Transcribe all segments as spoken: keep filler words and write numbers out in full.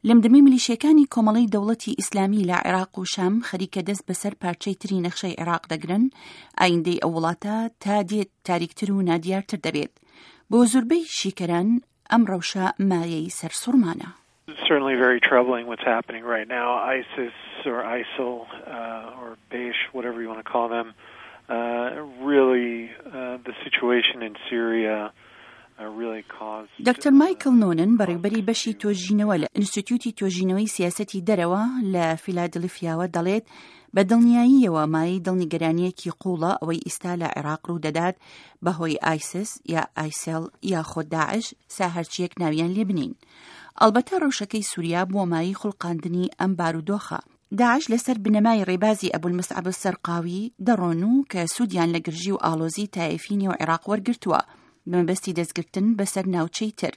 لەم دەمەی ملیشیەکانی کۆمەڵەی دەوڵەتی ئیسلامی لە عێراق و شام خەریکە دەست بەسەر پارچەی تری نەخشەی عێراق دەگرن، ئایندەی ئەو وڵاتە تا دێت تاریکتر و نادیارتر دەبێت. بۆ زۆربەی شیکەران ئەم ڕەوشە مایەی سەرسوڕمانە. Certainly very troubling what's happening right now. ISIS or ISIL uh, or Daesh, whatever you want to call them, uh, really uh, the situation in Syria دکتۆر مایکل نۆنن، بەڕێوبەری بەشی تۆژینەوە لە ئینستیتیوتی توێژینەوەی سیاسەتی دەرەوە لە فیلادلفیاوە دەڵێت، بە دڵنیاییەوە مایەی دڵنیگەرانیەکی قوڵە ئەوەی ئیستا لە عێراق ڕوو دەدات بەهۆی ئایسس یا ئایسل یاخۆ داعش، سا هەرچیەک ناویان لێ بنین. ئەلبەتە ڕەوشەکەی سووریا بووە مایەی خوڵقاندنی ئەم بارودۆخە. داعش لەسەر بنەمای ڕێبازی ئەبولمسعەب سەرقاوی دەڕۆن و کە سوودیان لە گرژی و ئالۆزی تایفی نێو عێراق وەرگرتووە بەمەبەستی دەستگرتن بەسەر ناوچەی تر،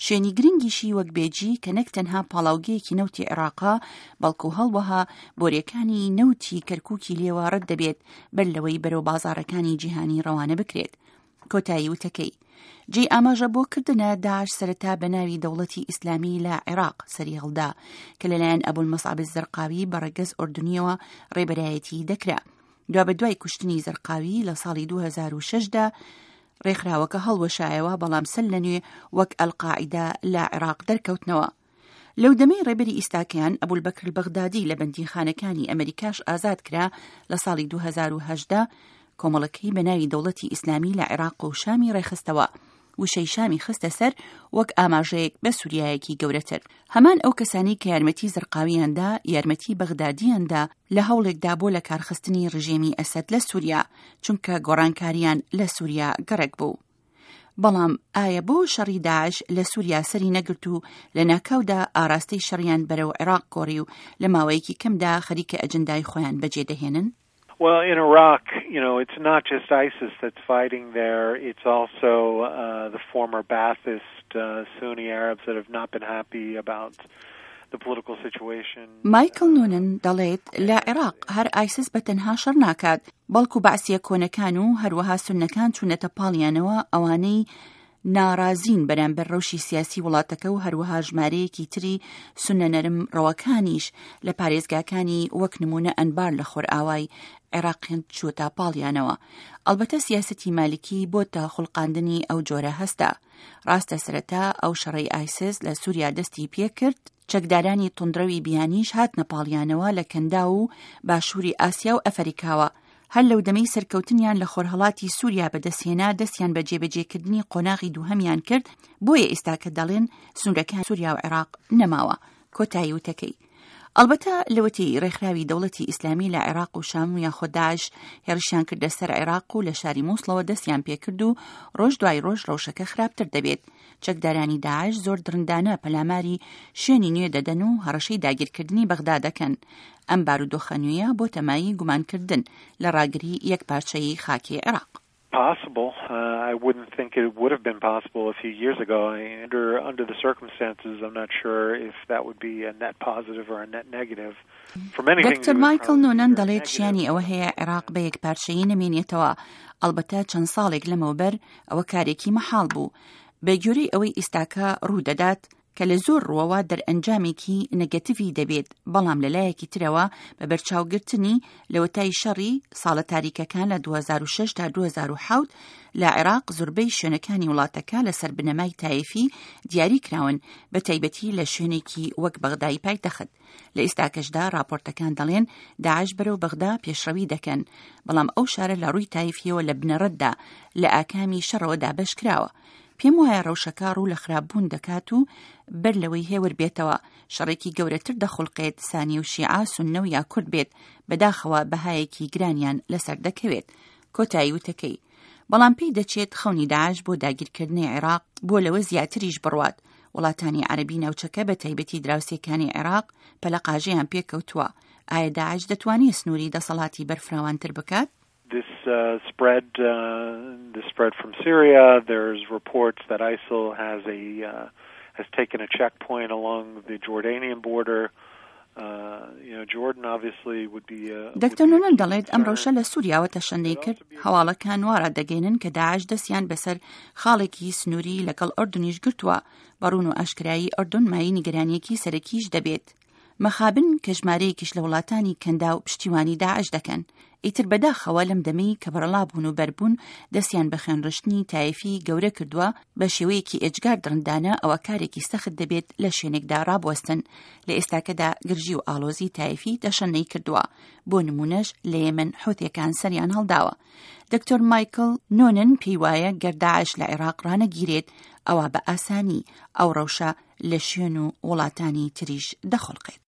شوێنی گرنگیشی وەک بێجی کە نەک تەنها پاڵاوگەیەکی نەوتی عێراقا، بەڵکو هەڵوەها بۆریەکانی نەوتی کەرکوکی لێوە ڕەت دەبێت بەر لەوەی بەرەو بازارەکانی جیهانی ڕەوانە بکرێت. کۆتایی وتەکەی. جێی ئاماژە بۆ کردنە داعش سەرەتا بە ناوی دەوڵەتی ئیسلامی لە عێراق سەری هەڵدا کە لەلایەن ئەبولمەسعەب زەرقاوی بە ڕەگەز ئۆردونیەوە ڕێبەرایەتی دەکرا. دوا بە دوای کوشتنی زەرقاوی لە ساڵی دوو هەزار و شەش دا ڕێکخراوەکە هەڵوەشایەوە، بەڵام سەر لە نوێ وەک ئەلقاعیدە لە عێراق دەرکەوتنەوە. لەو دەمەی ڕێبەری ئیستاکەیان ئەبولبەکر بەغدادی لە بەندیخانەکانی ئەمریکاش ئازاد کرا لە ساڵی دوو هەزار و هەژدە، کۆمەڵەکەی بە ناوی دەوڵەتی ئیسلامی لە عێراق و شامی ڕێخستەوە، وشەی شامی خستە سەر وەک ئاماژەیەک بە سووریایەکی گەورەتر. هەمان ئەو کەسانی کە یارمەتی زەرقاویاندا یارمەتی بەغدادیاندا لە هەوڵێکدا بۆ لە کارخستنی ڕژێمی ئەسەد لە سووریا، چونکە گۆڕانکاریان لە سووریا گەڕێک بوو. بەڵام ئایا بۆ شەڕی داعش لە سووریا سەری نەگرت و لە ناکاودا ئاراستەی شەڕیان بەرەو عێراق گۆڕی و لە ماوەیەکی کەمدا خەریکە ئەجندای خۆیان بەجێ دەهێنن؟ Well, in Iraq, you know, it's not just ISIS that's fighting there. It's also uh, the former Ba'athist uh, Sunni Arabs that have not been happy about the political situation. مایکل نونن دەڵێت، لە عێراق هەر ئایسس بە تەنها شەڕ ناکات، بەڵکو بەعسیە کۆنەکان و هەروەها سونەکان چوونەتە پاڵیانەوە، ئەوانەی ناڕازین بەرامبەر ڕەوشی سیاسی وڵاتەکە و هەروەها ژمارەیەکی تری سونە نەرم ڕەوەکانیش لە پارێزگاکانی وەک نمونە ئەنبار لە خۆرئاوای عێراقیان چووەتە پاڵیانەوە. ئەلبەتە سیاسەتی مالکی بۆتە خوڵقاندنی ئەو جۆرە هەستە. ڕاستە سەرەتا ئەو شەڕەی ئایسس لە سووریا دەستی پێکرد، چەکدارانی توندڕەوی بیانیش هاتنە پاڵیانەوە لە کەندا و باشووری ئاسیا و ئەفریکاوە. هەر لەو دەمەی سەرکەوتنیان لە خۆرهەڵاتی سووریا بەدەستهێنا، دەستیان بە جێبەجێکردنی قۆناغی دووهەمیان کرد. بۆیە ئێستا کە دەڵێن سنوورەکان سووریا و عێراق نەماوە. کۆتایی وتەکەی. ئەلبەتە لەوەتی ڕێکخراوی دەوڵەتی ئیسلامی لە عێراق و شام و یاخۆ داعش هێرشیان کردە سەر عێراق و لە شاری مووسڵەوە دەستیان پێکرد و ڕۆژ دوای ڕۆژ ڕەوشەکە خراپتر دەبێت. چەکدارانی داعش زۆر دڕندانە پەلاماری شوێنی نوێ دەدەن و هەڕەشەی داگیرکردنی بەغدا دەکەن. ئەم بارودۆخە نوێیە بۆتە مایەی گومانکردن لە ڕاگری یەک پارچەی خاکی عێراق. Possible. Uh, I wouldn't think it would have been possible a few years ago. Under under the circumstances, I'm not sure if that would be a net positive or a net negative. For many things, دکتۆر مایکل نۆنەن دەڵێت، شیانی ئەوە هەیە عێراق بە یەک پارچەیی نەمێنێتەوە. ئەلبەتە چەند ساڵێک لەمەوبەر ئەوە کارێکی مەحاڵ بوو. بە گوێرەی ئەوەی ئیستاکە ڕوو دەدات کە لە زۆر ڕووەوە دەرئەنجامێکی نێگەتیڤی دەبێت، بەڵام لە لایەکی ترەوە بە بەرچاوگرتنی لەوەتای شەڕی ساڵە تاریکەکان لە دوو هەزار و شەش تا دوو هەزار و حەوت لە عێراق، زۆربەی شوێنەکانی وڵاتەکە لەسەر بنەمای تایفی دیاری کراون، بە تایبەتی لە شوێنێکی وەک بەغدای پایتەخت. لە ئێستاکەشدا راپۆرتەکان دەڵێن داعش بەرەو بەغدا پێشڕەوی دەکەن، بەڵام ئەو شارە لە ڕووی تایفیەوە لە بنەڕەتدا لە ئاکامی شەڕەوە دابەش کراوە. پێم وایە ڕەوشەکە ڕوو لە خراپبوون دەکات و بەر لەوەی هێور بێتەوە شەڕێکی گەورەتر دەخولقێت، سانی و شیعە، سوننە و یا کورد بێت، بەداخەوە بەهایەکی گرانیان لەسەر دەکەوێت. کۆتایی وتەکەی. بەڵام پێی دەچێت خەونی داعش بۆ داگیرکردنی عێراق بۆ لەوە زیاتریش بڕوات. وڵاتانی عەربی ناوچەکە، بە تایبەتی دراوسێکانی عێراق، پەلەقاژەیان پێکەوتووە. ئایا داعش دەتوانێت سنووری دەسەڵاتی بەرفراوانتر بکات؟ This uh, spread, uh, this spread from Syria. There's reports that ISIL has a uh, has taken a checkpoint along the Jordanian border. دکتۆر نونن دەڵێت ئەم ڕەوشە لە سووریاوە تەشەنەی کرد. هەواڵەکان وا ڕادەگەێنن کە داعش دەستیان بەسەر خاڵێکی سنووری لەگەڵ ئەردونیش گرتووە. بە ڕوون و ئاشکرایی ئەردون مایەی نیگەرانیەکی سەرەکیش دەبێت. مەخابن کە ژمارەیەکیش لە وڵاتانی کەنداو پشتیوانی داعش دەکەن. ئیتر بەداخەوە لەم دەمەی کە بەرەڵا بوون و بەربوون دەستیان بە خوێنڕشتنی تایفی گەورە کردووە بە شێوەیەکی ئێجگار دڕندانە، ئەوە کارێکی سەخت دەبێت لە شوێنێکدا ڕابوەستن. لە ئێستاکەدا گرژی و ئاڵۆزی تایفی تەشەنەی کردووە. بۆ نمونەش لە یەمەن حوثیەکان سەریان هەڵداوە. دکتۆر مایکل نۆنن پێی وایە گەر داعش لە عێراق ڕانەگیرێت ئەوە بە ئاسانی ئەو ڕەوشە لە شوێن و وڵاتانی تریش دەخۆڵقێت.